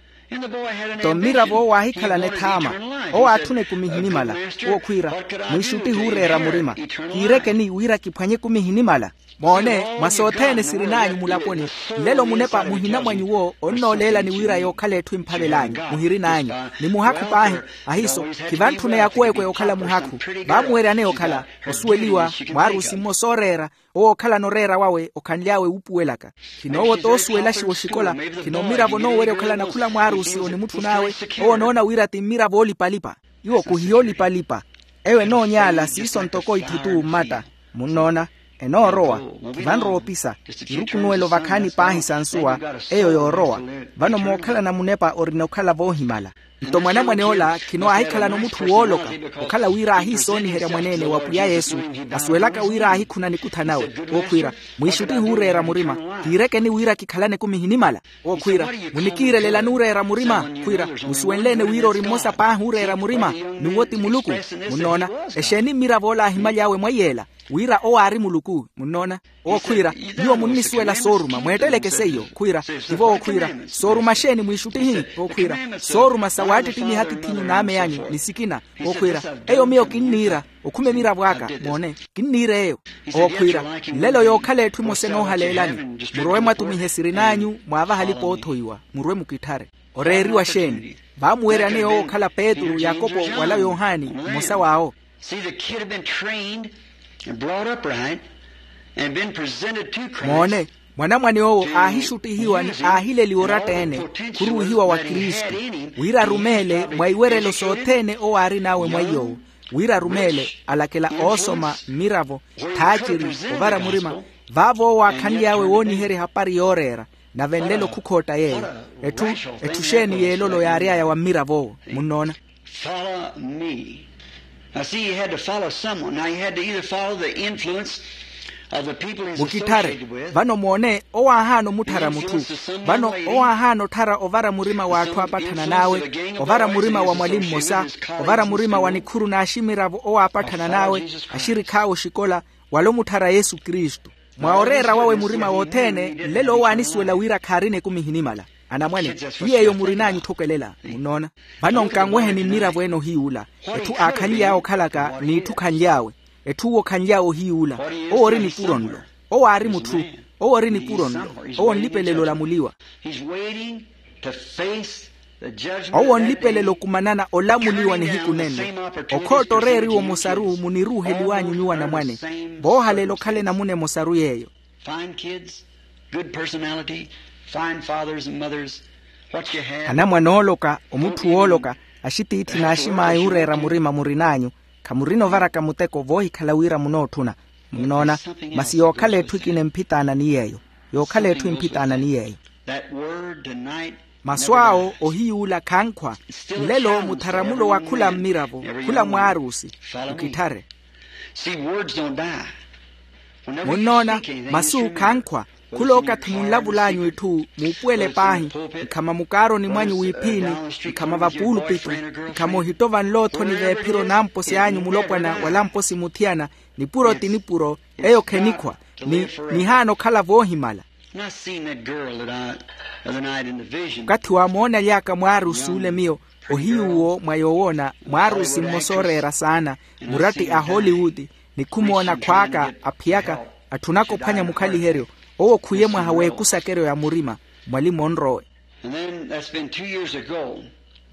Nto mmiravo owo aahikhalana ethaama owo aatthuna ekumi ehinimala owo khwiira mwiixuttihi ooreera murima kiirekeni wira kiphwanye ekumi ehinimala. Moone mwa sothene sirin'anyu mulaponi nlelo munepa muhina mwa nyuwo onnooleelani wira yookhala etthu emphavel'anyu muhirin'anyu ni muhakhu paahi. Ahiiso khivantthune yakweekwe yookhala muhakhu vaamuweryaneya okhala osuweliwa mwaarusi mmosa ooreera owo okhalana oreera wawe okhanly'awe wuupuwelaka. Khino owo t'osuwelaxiwa oxikola khino mmiravo noowerya okhalana khula mwaarusi onimutthun'awe owo onoona wira ti mmiravo oolipalipa. Iwo khuhiya oolipalipa eyo enoonyaala siiso ntoko itthu t'uwo mmatta. Munnoona enoorowa khivanrowa opisa irukunuwelo vakhaani paahi sa nsuwa eyo yoorowa. Vano mookhalana munepa orina okhala voohimala. Nto mwanamwane ola khino aahikhalana omutthu wooloka okhala wira aahiisooniherya mwaneene wa pwiya yesu asuwelaka wira aahikhuna nikutha nawe. Ookhwiira mwiixuttihi ooreera murima kiirekeni wira kikhalane ekumi ehinimala. Ookhwiira munikiirelelani ooreera murima khwiira musuwenle-ene wira ori mmosa paahi ooreera murima n'uwo ti muluku. Munnoona exeeni mmiravo ola aahimaly'awe mwaiy'ela wira owo aari muluku munnoona. Ookhwiira nyuwo munnisuwela sooruma mweetteleke seiyo khwiira tivo ookhwiira sooruma xeeni mwiixuttihi ookhwiira sooruma sa waattittimiha atiith'inyu n'ame anyu ni sikina. Ookhwiira eyo miyo kinniira okhume miravo aka moone kinniira eyo. Ookhwiira nlelo yookhala etthu emosa enoohaleelani murowe mwatumihe sirin'anyu mwaavaha alipa oothoiwa murwe mukitthare. Oreeriwa xeeni vaamuweryaneya owo okhala petru yakopo wala yohani mmosa w'awo. See the kid had been trained and brought up right and been presented to Christ. Moone mwanamwane owo aahixuttihiwa ni aahileliwa oratta-ene khuruwihiwa wa kristu wira arumeele mwa iwerelo sothene owo aarin'awe mwa iy'owo wira arumeele alakela oosoma mmiravo thaaciri ovara murima. Vaavo owo aakhanly'awe wooniherya ehapari yooreera nave nlelo khukhootta yeeyo. Etthu xeeni y'elolo yaary'aya wa mmirav'owo munnoona. Follow me. Now see, he had to follow someone. Now he had to either follow the influence of the people he's mukitthare associated with. Vano moone owo aahaana omutthara mutthu vano owo aahaana otthara ovara murima w'atthu aapatthana n'awe ovara murima wa mwali mmosa ovara murima wa nikhuru n'aximiravo owo aapatthana n'awe axirikh'awe oxikola wala omutthara yesu kristu. Mwa oreera wawe murima wothene nlelo owo aanisuwela wira khaarina ekumi ehinimala. Anamwane ti yeeyo murin'anyu otthokelela munnoona. Vano nkanweheni mmiravo ene ohiy'ula etthu aakhanly'awe okhalaka n'itthu khanly'awe. Etthu owo khanly'awe ohiy'ula owo ori nipuro nlo owo aari mutthu owo ori nipuro nlo owo nlipelela olamuliwa. Owo nlipelela okumanana olamuliwa nihiku nenno okhootta oreeriwa omosaru muniruuheliw'anyu nyuwo anamwane voohalela okhala enamuna emosaru yeeyo. Fine kids, good personality, fine fathers and mothers, what you have. Anamwane ooloka omutthu wooloka axitiithi n'axim'aya ooreera murima murin'anyu khamurina ovaraka muteko voohikhala wira munootthuna. Munnoona masi yookhala etthu ekina emphitaana ni yeeyo yookhala etthu emphitaana ni yeeyo. Masu awo ohiy'ula khankhwa nlelo mutharamulo wa khula mmiravo khula mwaarusi mukitthare. Munnoona masu khankhwa khula okathi munlavul'anyu itthu muupuwele paahi nkhama mukaaroni mwanyu w'iphini nkhama vapuulupitu nkhama ohitto vanloothoni v'ephiro namposi anyu mulopwana wala mposi muthiyana nipuro ti nipuro eyo khenikhwa. Ni nihaana okhala voohimala. Okathi waamoona lyaaka mwaarusi ole miyo, ohiyuwo mwa yoowoona mwaarusi mmosa ooreera saana, muratti a hollywood, ni khumoona khwaaka aphiyaka, atthunaka ophwanya mukhaliheryo. Owo khuye mwaha w'ekusakeryo ya murima, mwalimu onrowe.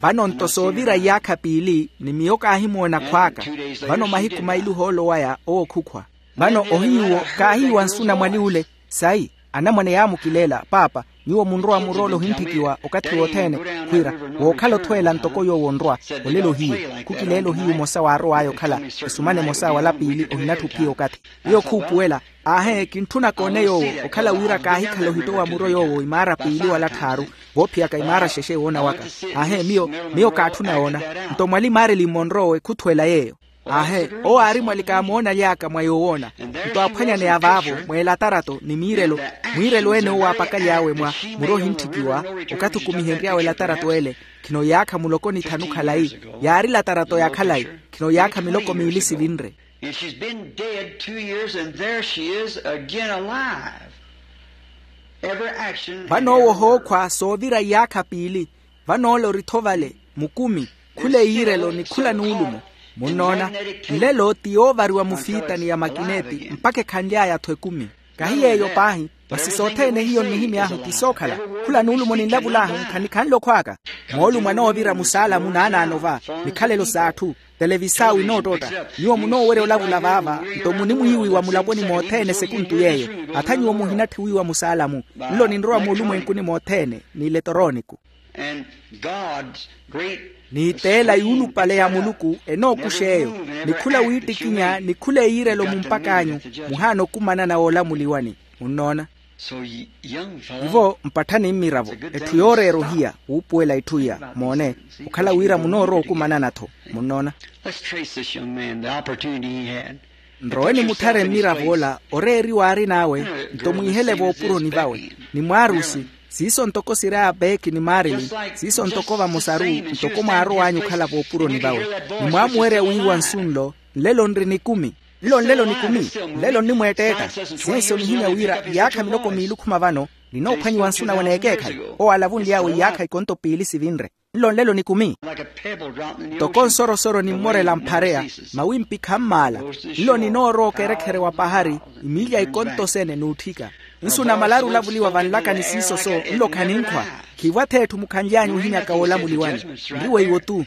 Vano nto soovira iyaakha piili ni miyo kaahimoona khwaaka. Vano mahiku maili ohoolo waya owo khukhwa. Vano ohiyuwo kaahiiwa nsuna mwali ule. Sayi, anamwane yaamukileela paapa, nyuwo munrowa muroole ohinttikiwa okathi wothene, khwiira, wookhala othweela ntoko yoowo onrwa. Olelo hiyu khukileela ohiyu omosa waarow'aya okhala, esumana emosa wala piili ohinatthi ophiya okathi. Iyo khuupuwela. Aahe kintthuna koone yoowo, okhala wira kaahikhala ohittowa muro yoowo imaara piili wala tthaaru, voophiyaka imaara xexe woona waka. Aahe miyo, miyo kaatthuna woona. Nto mwali marilini monrowe khuthweela yeeyo. Aahe owo aari mwali kaamoonaly'aka mwa yoowoona. Nto aaphwanyaneya vaavo mweelatarato ni miirelo, mwiirelo ene owo aapakaly'awe mwa muro ohinttikiwa, okathi okumihenry'awe elatarato ele, khino iyaakha muloko ni thanu khalayi. Yaari latarato ya khalayi, khino iyaakha miloko miili sivinre. And she's been dead two years, and there she is again alive. Every action. Vano owo ohookhwa soovira iyaakha piili. Vano ole ori-tho vale, mukumi, khula eyiirelo ni khula nuulumo. Munnoona? Nlelo ti yoovariwa mufiitani ya makineti mpakha ekhanly'aya-tho ekumi. Kahi yeeyo paahi, masi sothene hiyo nnihimy'ahu ti sookhala. Khula nuulumo ninlavul'ahu nkhanikhanle okhwaaka. Moolumo anoovira musaalamu naanaano va, mikhalelo s'atthu, televisao inoottotta. Nyuwo munoowerya olavula vaava, nto munimwiiwiwa mulaponi mothene sekuntu yeeyo. Atha nyuwo muhinatthi wiiwa musaalamu. Nlo ninrowa moolumwenkuni mothene n'iletoroniku. N'iteela yuulupale ya muluku enookuxa eyo, ni khula wiittikinya ni khula eyiirelo mumpak'anyu. Muhaana okumanana woolamuliwani. Munnoona? Ivo mpatthani mmiravo, etthu yooreera ohiya wuupuwela itthu iya. Moone, okhala wira munoorowa okumanana-tho. Munnoona? Nrowe nimutthareni mmiravo ola oreeriwa aarin'awe. Nto mwiihele voopuroni vawe, ni mwaarusi, siiso ntoko siri abeeki ni maarilini, siiso ntoko vamosaru, ntoko mwaarow'anyu okhala voopuroni vawe, ni mwaamuwerya wiiwa nsu nlo. Nlelo nri nikumi. Nlo nlelo nikumi. Nlelo nnimweetteetta. Siiso nihimya wira iyaakha miloko miili okhuma vano, ninoophwanyiwa nsu nawe n'ekeekhayi. Owo alavunly'awe iyaakha ikonto piili sivinre. Nlo nlelo nikumi. Ntoko nsorosoro nimmorela mphareya, mawimpikha mmaala. Nlo ninoorowa okerekhere wa pahari, imiilya ikonto sene n'utthika. Nsu namalaru olavuliwa vanlaka ni siiso-so, nlo khaninkhwa. Khiivo ath'etthu mukhanly'anyu ohimyaka woolamuliwani. Nri weiwo-tu.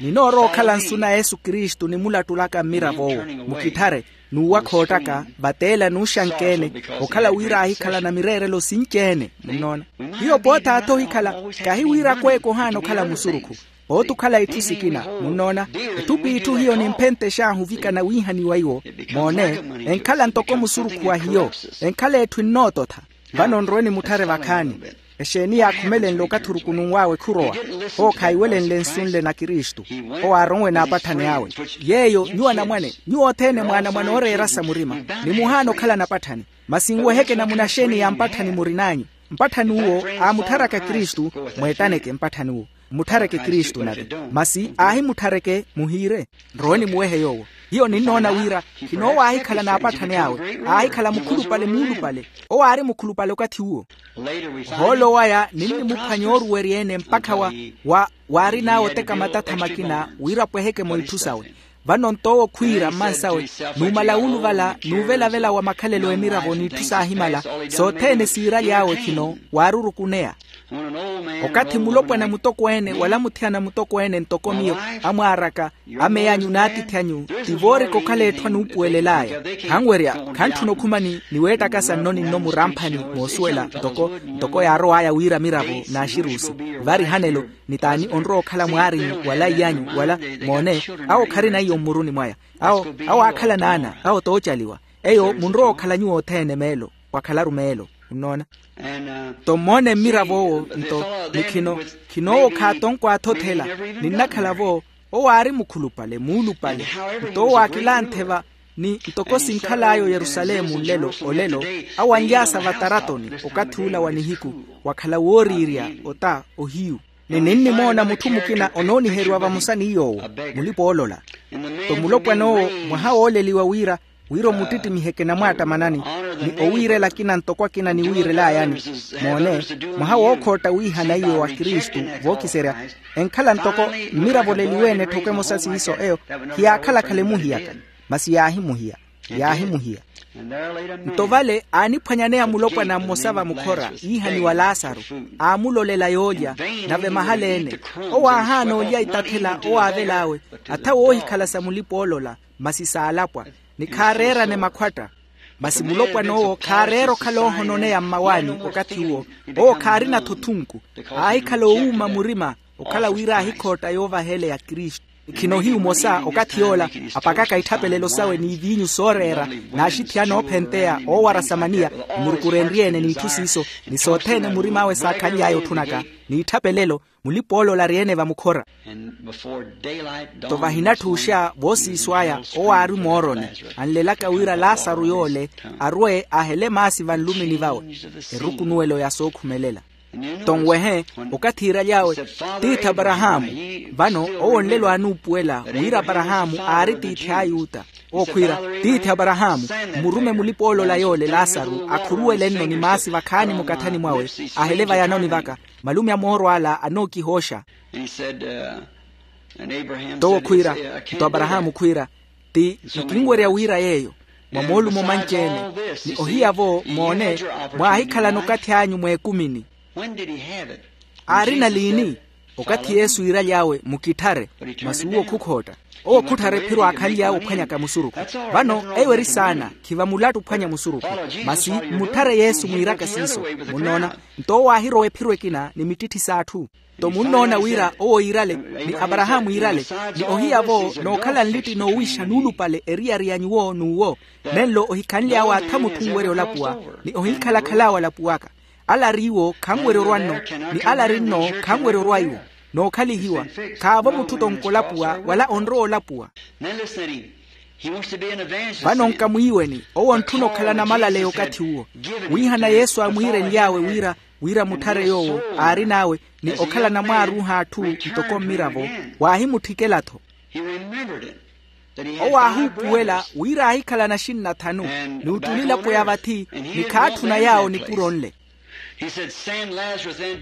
Ninoorowa okhala nsu na yesu kristu nimulattulaka mmirav'owo. Mukitthare, n'uwa khoottaka, vateela n'uxankeene, okhala wira aahikhalana mireerelo sinci-ene. Munnoona? Hiyo pooth'athi ohikhala, kahi wira akweeke ohaana okhala musurukhu. Pooti okhala itthu sikina. Munnoona? Etthu p'itthu hiyo nimphenttex'ahu ovikana wiihaniwa iwo. Moone, enkhala ntoko musurukhu wa hiyo. Enkhala etthu ennoototha. Vano nrowe nimutthare vakhaani. Exeeni yaakhumelenle okathi orukununw'awe khurowa? Owo khaiwelenle nsu nle na kristu. Owo aaronwe n'apatthani awe. Yeeyo nyuwo anamwane, nyuwo othene mwaanamwane ooreerasa murima, nimuhaana okhala napatthani. Masi nweheke namuna xeeni ya mpatthani murin'anyu? Mpatthani uwo aamuttharaka kristu. Mweettaneke mpatthani uwo. Mutthareke kristu nave. Masi aahimutthareke muhiire. Nrowe nimuwehe yoowo. Hiyo ninnoona wira, khino owo aahikhala n'apatthani awe, aahikhala mukhulupale muulupale. Owo aari mukhulupale okathi uwo. Ohoolo waya ninnimuphwanya ooruwerya-ene mpakha wa, wa, waarin'awe oteka matatha makina wira apweheke-mo itthu sawe. Vano nto owo khwiira mmansawe, numala wuuluvala nuuvelavela wa makhalelo emiravo n'itthu saahimala, sothene siiraly'awe khino waarurukuneya. Okathi mulopwana mutokweene wala muthiyana mutokweene ntoko miyo, amwaar'aka, amey'anyu n'atiithi anyu, ti voorika okhala etthu anuupuwelel'aya. Khanwerya, khantthuna okhuma ni niweettakasa nno ninno muramphani moosuwela ntoko, ntoko yaarow'aya wira miravo n'axiruusi, vari hanelo, ni t'ani onrowa okhala mwaarinyu wala iy'anyu wala, moone, awo kharina iyo mmuruni mwaya. Awo, awo aakhala n'ana awo t'ocaliwa. Eyo munrowa okhala nyuwo othene meelo, wakhalaru meelo. Munnoona? Nto mmoone mmirav'owo nto, ni khino, khino owo khaatonkw'athi othela. Ninnakhala-vo, owo aari mukhulupale muulupale. Nto owo aakilanthe va, ni ntoko sinkhal'aya oyerusalemu nlelo olelo, awo anly'asa vataratoni okathi ula wa nihiku, wakhala wooriirya ota ohiyu. Ni ninnimoona mutthu mukina onooniheriwa vamosa ni yoowo, mulipa oolola. Nto mulopwan'owo mwaha wooleliwa wira, wira omuttittimihe kinamwaattamanani, ni owiirela akina ntoko akina eniwiirelaayani. Moone, mwaha wookhootta wiihana iwe wa kristu, vookiserya enkhala ntoko mmiravoleliwe-ene etthoko emosa siiso eyo, khiyaakhala-khala emuhiyaka. Masi yaahimuhiya, yaahimuhiya. Nto vale aaniphwanyaneya mulopwana mmosa vamukhora iihaniwa laasaru, aamulolela yoolya. Nave mahala-ene, owo aahaana olya itathela owaavel'awe, atha woohikhala sa mulipa oolola, masi saalapwa, ni khaareerane makhwatta. Masi mulopwan'owo khaareera okhala oohononeya mmawaani okathi uwo. Owo khaarina-tho thunku, aahikhala owuuma murima, okhala wira aahikhootta yoovaheleya kristu. Khino ohiyu mosa okathi yoola, apakaka itthapelelo sawe n'iviinyu sooreera, n'axitthi anoophenteya oowara samaniya, emurukurenrye-ene n'itthu siiso, ni sothene murim'awe saakhanly'aya otthunaka, n'itthapelelo, mulipa oolola ari-ene vamukhora. Nto vahinatthuuxa voosiiso aya owo aari mooroni, anlelaka wira laasaru yoole arwe ahele maasi vanlumini vawe. Erukunuwelo ya sookhumelela. Nto nwehe, okathi iiraly'awe, tiithi aparahaamu. Vano owo nlelo aanuupuwela wira aparahaamu aari tiithi a ayuta. Owo khwiira, tiithi aparahaamu, mmurume mulipa oolola yoole laasaru akhuruwele-nno ni maasi vakhaani mukathani mwawe, ahele vayanoni vaka. Malume a mooro ala anookihooxa. Nto owo khwiira, nto aparahaamu khwiira, ti nkinwerya wira yeeyo, mwa moolumo manci-ene. Ni ohiya-vo moone, mwaahikhalana okathi anyu mweekumini. Aarina liini? Okathi yesu iiraly'awe mukitthare. Masi uwo khukhootta. Owo khutthara ephiro aakhanly'awe ophwanyaka musurukhu. Vano eyo eri saana, khiva mulattu ophwanya musurukhu. Masi mmutthare yesu mwiiraka siiso. Munnoona? Nto owo aahirowa ephiro ekina ni mittitthi s'atthu. Nto munnoona wira owo iirale, ni aparahaamu iirale, ni ohiya-vo nookhala nlitti noowixa nuulupale eriyari ya nyuwo n'uwo. Nenlo ohikhanly'awe atha mutthu onwerya olapuwa, ni ohinkhala-khal'awe alapuwaka. Ala ariiwo khanwerya orwa-nno, ni ala ari-nno khanwerya orwa iwo. Nookhalihiwa, khaavo mutthu tonko olapuwa wala onrowa olapuwa. Vano nkamwiiweni owo ontthuna okhala namalaleya okathi uwo. Wiihana yesu aamwiirenly'awe wira, wira mutthare yoowo aarin'awe, ni okhala namwaaruuha atthu ntoko mmiravo, waahimutthikela-tho. Owo aahuupuwela wira aahikhala naxinna thanu, ni ottuli elapo ya vathi, ni khaatthuna yaawo nipuro nle.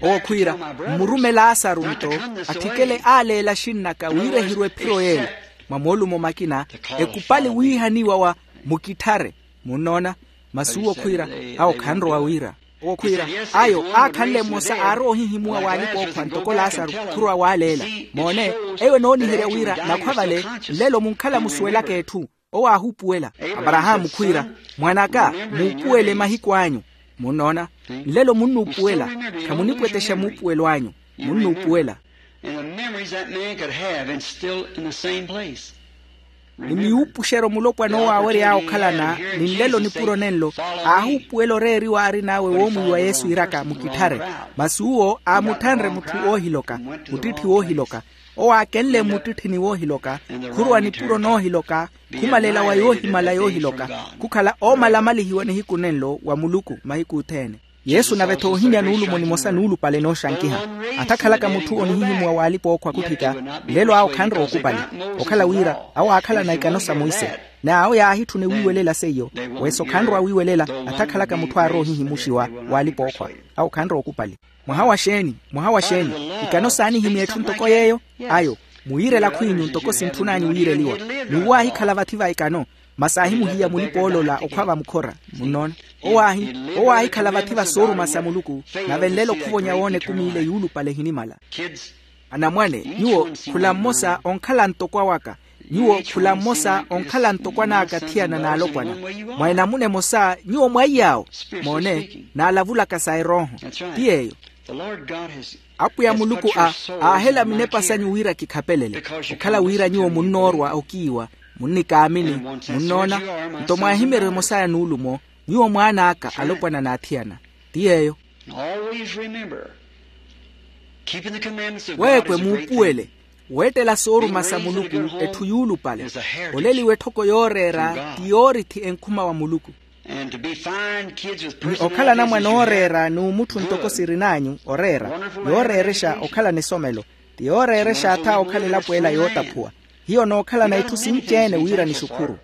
Owo khwiira, mmurume laasaru nto atthikele aaleela axinn'aka wira ehirwe ephiro y'ela. Mwa moolumo makina, ekupali wiihaniwa wa mukitthare. Munnoona? Masi uwo khwiira, awo khanrowa wira. Owo khwiira, ayo aakhanle mmosa aarowa ohihimuwa w'alipa-ookhwa ntoko laasaru, khurowa waaleela. Moone, eyo enooniherya wira nakhwa vale, nlelo munkhala musuwelaka etthu. Owo aahuupuwela. Aparahaamu khwiira, mwan'aka, muupuwele mahiku anyu. Munnoona? Nlelo munnuupuwela. Khamunipwetexa muupuwelo anyu. Munnuupuwela. Ni miwuupuxeryo mulopwana owo aawery'awe okhalana, ni nlelo nipuro nenlo, aahuupuwela oreeriwa aarin'awe woomwiiwa yesu iiraka mukitthare. Masi uwo aamutthanre mutthu woohiloka, muttitthi woohiloka. Owo aakenle mmuttitthini woohiloka, khurowa nipuro noohiloka, khumalela wa yoohimala yoohiloka, khukhala oomalamalihiwa nihiku nenlo wa muluku mahiku othene. Yesu nave-tho oohimya nuulumo nimosa nuulupale nooxankiha. Atha akhalaka mutthu onihihimuwa w'alipa-ookhwa khutthika, nlelo awo khanrowa okupali. Okhala wira awo aakhalana ikano sa monse, n'awo yaahitthuna ewiiwelela seiyo. Wesa okhanrowa wiiwelela atha akhalaka mutthu aarowa ohihimuxiwa w'alipa-ookhwa. Awo khanrowa okupali. Mwaha wa xeeni? Mwaha wa xeeni? Ikano saanihimya etthu ntoko yeeyo. Ayo, muwiirela khwiinyu ntoko sintthun'anyu wiireliwa. N'uwo aahikhala vathi va ikano, masi aahimuhiya mulipa-oolola okhwa vamukhora. Munnoona? Owo aahikhala vathi va sooruma sa muluku. Nave nlelo khuvonya woona ekumi ile yuulupale ehinimala. Anamwane, nyuwo khula mmosa onkhala ntoko awaka. Nyuwo khula mmosa onkhala ntoko an'aka athiyana n'alopwana. Mwa enamuna emosa nyuwo mwaiy'awo. Moone, n'alavulaka sa erooho. Ti yeeyo. Apwiya muluku a aahela minepa sanyu wira kikhapelele. Okhala wira nyuwo munnoorwa okiiwa, munnikaamini, munnoona. Nto mwaahimyeryo emosa ya nuulumo. Nyuwo mwaan'aka alopwana n'athiyana. Ti yeeyo. Weekwe muupuwele, weettela sooruma sa muluku etthu yuulupale. Oleliwa etthoko yooreera ti yoorithi enkhuma wa muluku. Ni okhala anamwane ooreera n'umutthu ntoko sirin'anyu oreera, yooreerexa okhala nisomelo, ti yooreerexa atha okhala elapo ela yootaphuwa. Hiyo nookhalana itthu sinci-ene wira nixukhuru.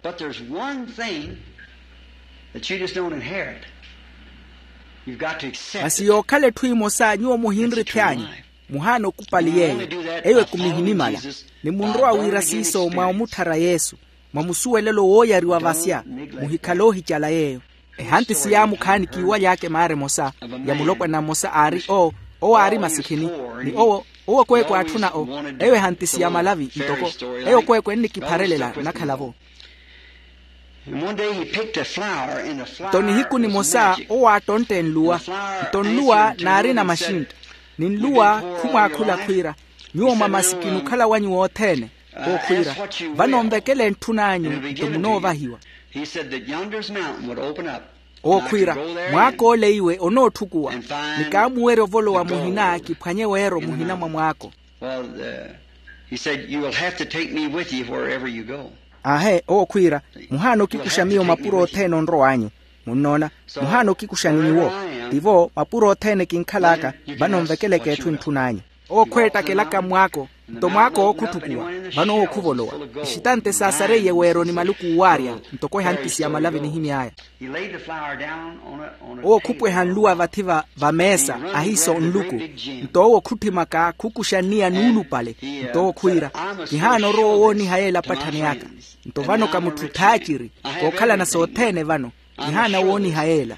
Masi yookhala etthu emosa nyuwo muhinrithi anyu, muhaana okupali yeeyo. Eyo ekumihinimala. Ni munrowa wira siiso mwa omutthara yesu, mwa musuwelelo wooyariwa vasya, muhikhale oohicala yeeyo. Ehantisi yaamukhaani kiiwaly'aka emaara emosa, ya mulopwana mmosa aari owo, owo aari masikhini, ni owo owo kweekwe aatthuna o. Eyo ehantisi ya malavi ntoko eyo kweekwe ennikipharelela nnakhala-vo. Nto nihiku nimosa owo aattontte nluwa. Nto nluwa naarina maxintta, ni nluwa khumwaakhula khwiira, nyuwo mwa masikini okhala wanyu wothene. Owo khwiira, vano nvekele ntthun'anyu nto munoovahiwa. Owo khwiira, mwaak'ole iwe onootthukuwa, ni kaamuwerya ovolowa muhina kiphwanye weero muhina mwa mwaako. Aahe owo khwiira, muhaana okikuxa miyo mapuro othene onrow'anyu. Munnoona, muhaana okikuxa ni nyuwo. Tivo mapuro othene kinkhal'aka. Vano nvekeleke etthu entthun'anyu. Owo khweettakelaka mmwaako, nto mwaako ookhutthukuwa. Vano owo khuvolowa. Ixitante saasareiye weero ni maluku uwaarya, ntoko ehantisi ya malavi nihimy'aya. Owo khupweha nluwa vathi va meesa ahiiso nluku. Nto owo khutthimaka khukuxa nniya nuulupale. Nto owo khwiira, kihaana orowa owooniha yeela apatthani aka. Nto vano ka mutthu thaaciri, kookhalana sothene vano. Kihaana wooniha yeela.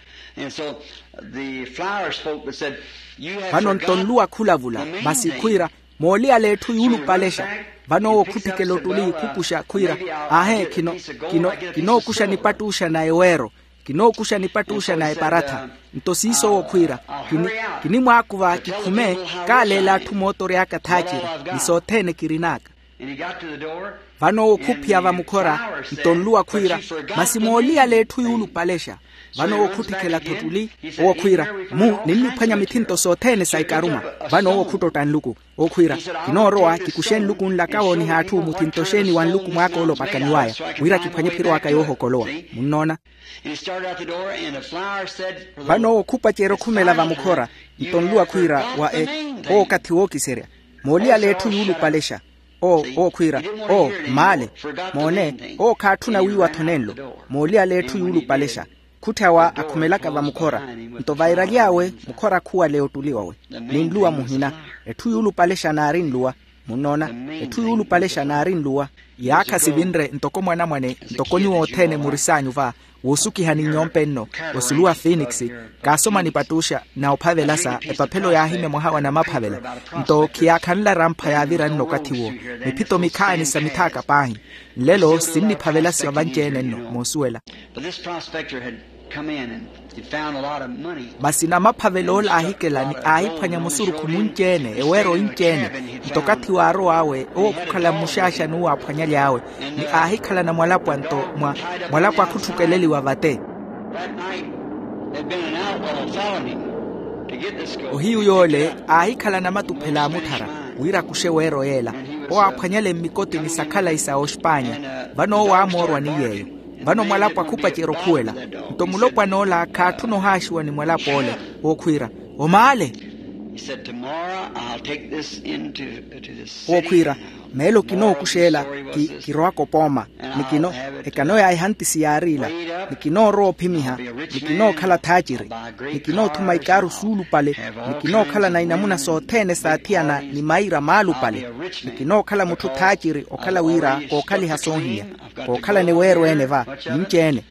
Vano nto nluwa khulavula, masi khwiira, mooliyala etthu yuulupalexa. Vano owo khutthikela ottuli khukuxa khwiira, aahe, kinookuxa nipattuxa na eweero. Kinookuxa nipattuxa na eparatha. Nto siiso owo khwiira, kinimwaakuva kikhume. Kaaleela atthu mootori aka thaaciri, ni sothene kirin'aka. Vano owo khuphiya vamukhora, nto nluwa khwiira, masi mooliyala etthu yuulupalexa. Vano owo khutthikela-tho ottuli. Owo khwiira, mu ninniphwanya mithinto sothene sa ikaruma. Vano owo khuttotta nluku. Owo khwiira, kinoorowa kikuxe nluku nlaka wooniha atthu muthinto xeeni wa nluku mwaaka ole opakaniw'aya, wira kiphwanye phiro aka yoohokolowa. Munnoona. Vano owo khupacerya okhumela vamukhora, nto nluwa khwiira, wa e, owo okathi wookiserya. Mooliyala etthu yuulupalexa. Owo owo khwiira, owo, maale. Moone, owo khaatthuna wiiwa-tho nenlo. Mooliyala etthu yuulupalexa, khutthyawa akhumelaka vamukhora. Nto vairaly'awe mukhora khuwale ottuli wawe, ni nluwa muhina. Etthu yuulupalexa naari nluwa. Munnoona, etthu yuulupalexa naari nluwa. Yaakha sivinre ntoko mwanamwane ntoko nyuwo othene muris'anyu va, woosukihani nyompe nno, osulu wa finikisi, kaasoma nipattuxa na ophavela sa epaphelo yaahimya mwaha wa namaphavela. Nto khiyaakhanla erampha yaavira nno okathi-wo, miphito mikhaani sa mithaaka paahi. Nlelo sinniphavelasiwa vanci-ene nno moosuwela. Masi namaphavela ole aahikela ni aahiphwanya musurukhu munci-ene eweero inci-ene. Nto okathi waarow'awe owo khukhala mmuxaaxani uwo aaphwanyaly'awe, ni aahikhalana mwalapwa nto mwalapwa khutthukeleliwa vate. Ohiyu yoole aahikhalana matuphela aamutthara wira akuxe weero yeela. Owo aaphwanyale mmikotini sa khalayi sa oxpaanya. Vano owo aamoorwa ni yeeyo. Vano mwalapwa khupacerya okhuwela. Nto mulopwan'ola khaatthuna ohaaxiwa ni mwalapw'ole. Ookhwiira, omaale. Ookhwiira, meelo kinookux'ela. Kirowaka opooma. Ni kino ekano ya ehantisi yaari ila. Ni kinoorowa ophimiha. Ni kinookhala thaaciri. Ni kinoothuma ikaaru suulupale. Ni kinookhalana inamuna sothene saathiyana ni maira maalupale. Ni kinookhala mutthu thaaciri okhala wira kookhaliha soohinya. Kookhalana eweero ene va ninci-ene.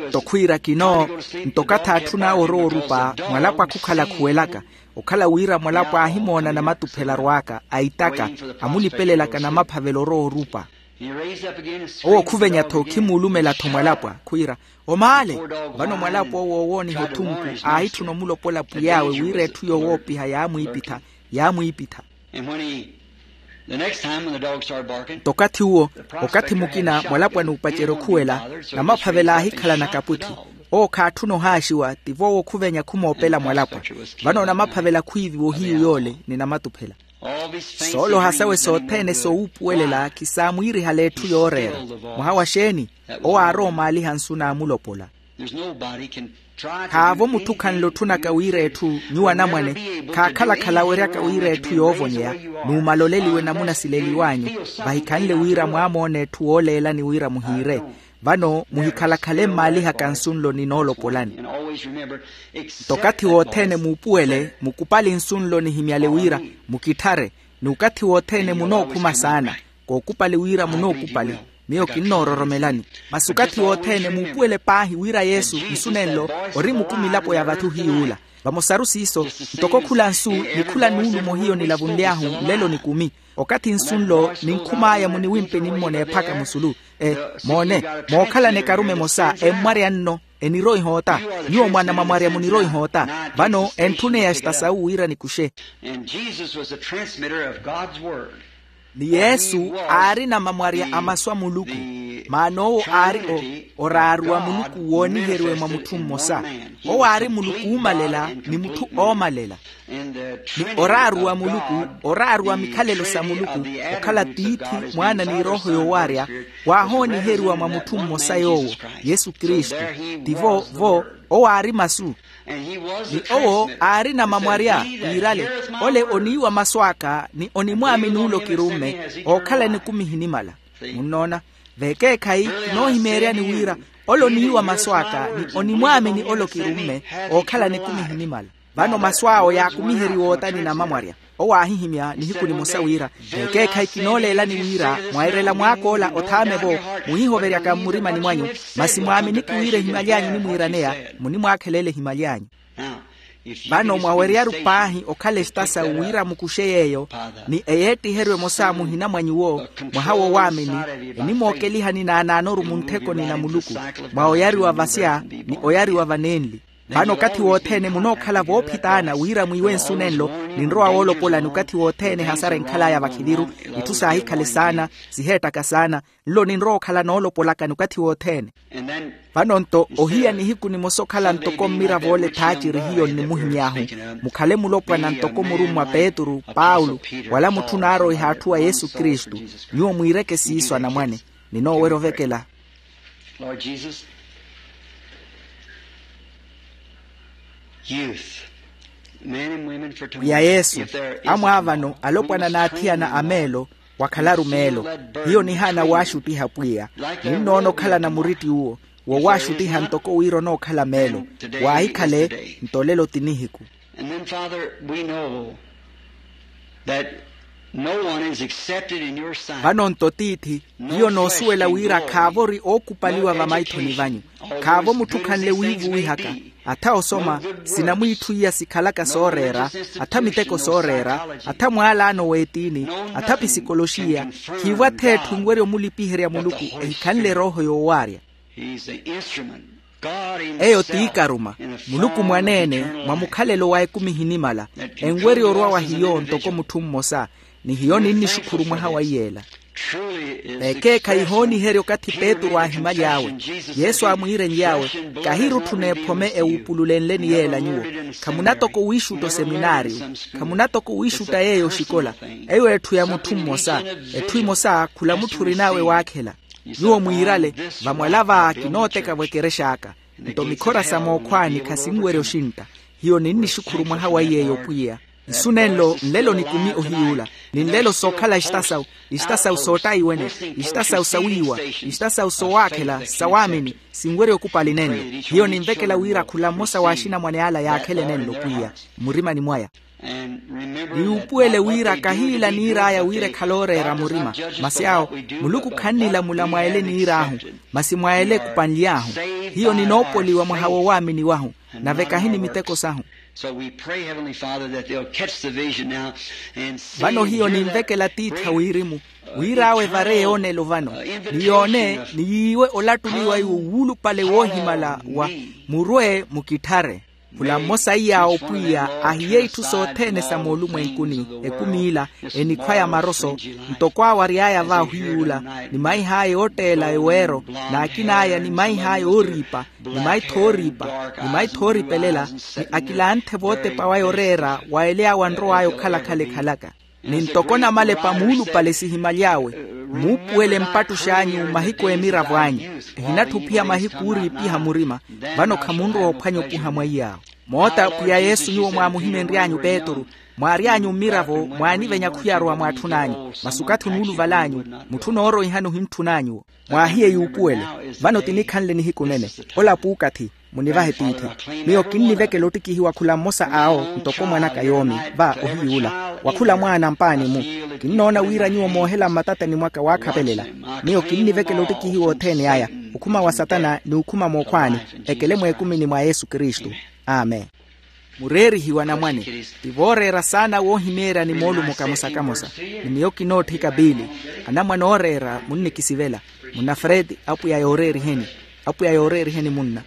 Nto khwiira kino. Nto okathi aatthun'awe orowa orupa mwalapwa khukhala khuwelaka. Okhala wira mwalapwa aahimoona namatuphela arw'aka aitaka, amulipelelaka namaphavela orowa orupa. Owo khuvenya-tho khimuulumela-tho mwalapwa khwiira, omaale. Vano mwalapwa owo oowooniha othunku aahitthuna omulopola pwiy'awe wira etthu yoowoopiha yaamwiipitha. Yaamwiipitha. Nto okathi uwo, okathi mukina mwalapwa n'upacerya okhuwela, namaphavela aahikhalana kapwitthi. Owo khaatthuna ohaaxiwa tivo owo khuvenya khumoopela mwalapwa. Vano namaphavela khwiiviwa ohiyu yoole ni namatuphela. Sooloha sawe sothene soowuupuwelela khisaamwiirihale etthu yooreera. Mwaha wa xeeni? Owo aarowa omaaliha nsu naamulopola. Khaavo mutthu khanle otthunaka wira etthu nyuwo anamwane khaakhala-khala aweryaka wira etthu yoovonyeya. Nuumaloleliwe namuna sileliw'anyu, vahikhanle wira mwaamoona etthu wooleelani wira muhiire. Vano muhikhala-khale mmaalihaka nsu nlo ninoolopolani. Nto okathi wothene muupuwele mukupali nsu nlo nihimyale wira mukitthare. Ni okathi wothene munookhuma saana. Kookupali wira munookupali. Miyo kinnoororomelani. Masi okathi wothene muupuwele paahi wira yesu nsu nenlo ori mukumi elapo ya vathi ohiy'ula. Vamosaru siiso, ntoko khula nsu ni khula nuulumo hiyo nilavunly'ahu nlelo nikumi. Okathi nsu nlo ninkhum'aya muniwimpe nimmona ephaka musulu. E, moone, mookhalana ekarume emosa emmwarya nno. Enirowa ihoota. Nyuwo mwaana mwa mwarya munirowa ihoota. Vano entthuneya estasawu wira nikuxe. Ni yesu aari namamwarya a masu a muluku. Maana owo aari oraaru wa muluku wooniheriwe mwa mutthu mmosa. Owo aari muluku oomalela ni mutthu oomalela. Ni oraaru wa muluku, oraaru wa mikhalelo sa muluku, okhala tiithi, mwaana ni erooho yoowaarya, waahooniheriwa mwa mutthu mmosa yoowo, yesu kristu. Tivo vo owo aari masu. Ni owo aari namamwarya, wiirale, ole oniiwa masu aka ni onimwaamini ole okirumme. Ookhala nikumi ehinimala. Munnoona? Vekeekhayi kinoohimeeryani wira ole oniiwa masu aka ni onimwaamini ole okirumme. Ookhala nikumi ehinimala. Vano masu awo yaakumiheriwa ootani namamwarya. Owo aahihimya nihiku nimosa wira, vekeekhayi kinooleelani wira mwairela mwaak'ola othaame-vo, muhihoveryaka mmurimani mwanyu. Masi mwaaminiki wira ehimaly'anyu onimwiiraneya, munimwaakhelela ehimaly'anyu. Vano mwaweryaru paahi okhala estasawu wira mukuxe yeeyo, ni eyeettiheryo emosa muhina mwa nyuwo, mwaha woowaamini, enimookelihani naanaanoru munthekoni na muluku, mwa oyariwa vasya ni oyariwa vanenli. Vano okathi wothene munookhala voophitaana wira mwiiwe nsu nenlo, ninrowa woolopolani okathi wothene ehasara enkhal'aya vakhiliru, itthu saahikhale saana, siheettaka saana. Nlo ninrowa okhala noolopolakani okathi wothene. Vano-nto ohiya nihiku nimosa okhala ntoko mmiravo ole thaaciri hiyo nnimuhimy'ahu, mukhale mulopwana ntoko murummwa petru, paulo, wala mutthu naaroiha atthu a yesu kristu. Nyuwo mwiireke siiso anamwane. Ninoowerya ovekela. Pwiya yesu, amwaavano alopwana n'athiyana a meelo, wakhalaru meelo. Hiyo nihaana waaxuttiha pwiya. Ninnoona okhalana muritti uwo, wowaaxuttiha ntoko wira onookhala meelo. Waahikhale nto olelo ti nihiku. Vano-nto tiithi, hiyo noosuwela wira khaavori ookupaliwa vamaithoni vanyu. Khaavo mutthu khanle wiivuwihaka. Atha osoma, sinamwiitthu iya sikhalaka sooreera, atha miteko sooreera, atha mwaalaano w'etiini, atha pisikoloxiya. Khiivo atha etthu enwerya omulipiherya muluku, ehikhanle erooho yoowaarya. Eyo t'ikaruma. Muluku mwaneene, mwa mukhalelo wa ekumi ehinimala, enwerya orwa wa hiyo ntoko mutthu mmosa. Ni hiyo ninnixukhuru mwaha wa iyeela. Ekeekhayi ihooniherya okathi petru aahimaly'awe. Yesu aamwiirenly'awe, kahiirutthuna ephome ewuupululenleni yeela nyuwo. Khamuna toko wiixutta oseminaariyo. Khamuna toko wiixutta yeeyo oxikola. Eyo etthu ya mutthu mmosa. Etthu emosa khula mutthu orin'awe waakhela. Nyuwo mwiirale, vamwala va kinooteka-vo ekerex'aka. Nto mikhora sa mookhwaani khasinwerya oxintta. Hiyo ninnixukhuru mwaha wa iyeeyo pwiya. Nsu nenlo nlelo nikumi ohiy'ula. Ni nlelo sookhala ixitasawu, ixitasawu soottaiwene, ixitasawu sawiiwa, ixitasawu sowaakhela sawaamini. Sinwerya okupali nenlo. Hiyo ninvekela wira khula mmosa w'axinamwane ala yaakhele nenlo pwiya, mmurimani mwaya. Ni yuupuwele wira kahiila niir'aya wira ekhale ooreera murima. Masi awo, muluku khannilamula mwa ele niir'ahu, masi mwa ele ekupanly'ahu. Hiyo ninoopoliwa mwaha woowaamini wahu, nave kahini miteko sahu. Vano hiyo ninvekela tiithi a wirimu, wir'awe evare yoonelo vano, ni yoone ni yiiwe olattuliwa iwo wuulupale woohimala wa, murwe mukitthare. Khula mmosa iy'awo pwiya ahiye itthu sothene sa moolumwenkuni, ekumi ila, enikhwa ya maroso, ntoko aawary'aya va ohiy'ula, ni maih'aya ootteela eweero, n'akin'aya ni maih'aya ooriipa, ni maitho ooriipa, ni maitho ooripelela, ni akilanthe vootepa waya oreera wa ele awo anrow'aya okhala-khala ekhalaka. ni ntoko namalepa muulupale sihimaly'awe. Muupuwele mpattux'anyu mahiku emiravo anyu. Ehinatthu ophiya mahiku ooriipiha murima. Vano khamunrowa ophwanya opuha mwa iy'awo. Moota pwiya yesu nyuwo mwaamuhimenry'anyu petru, mwaary'anyu mmiravo mwaanivenya khuyarowa mwaatthun'anyu. Masi okathi onuuluval'anyu, mutthu onooroihani ohintthun'anyu-wo. Mwaahiye yuupuwele. Vano tinikhanle nihiku nene. Ola puukathi. Munivahe tiithi. Miyo kinnivekela ottikihiwa khula mmosa awo ntoko mwan'aka yoomi, va ohiy'ula. Wa khula mwaana mpaani-mu. Kinnoona wira nyuwo moohela mmatatani mwaka waakhapelela. Miyo kinnivekela ottikihiwa othene aya, okhuma wa satana ni okhuma mookhwaani, ekele mweekumini mwa yesu kristu. Amen. Mureerihiwa anamwane. Ti vooreera saana woohimeerya ni moolumo kamosa-kamosa. Ni miyo kinootthika piili. Anamwane ooreera munnikisivela. Munna fredi, apwiya yooreeriheni. Apwiya yooreeriheni munna.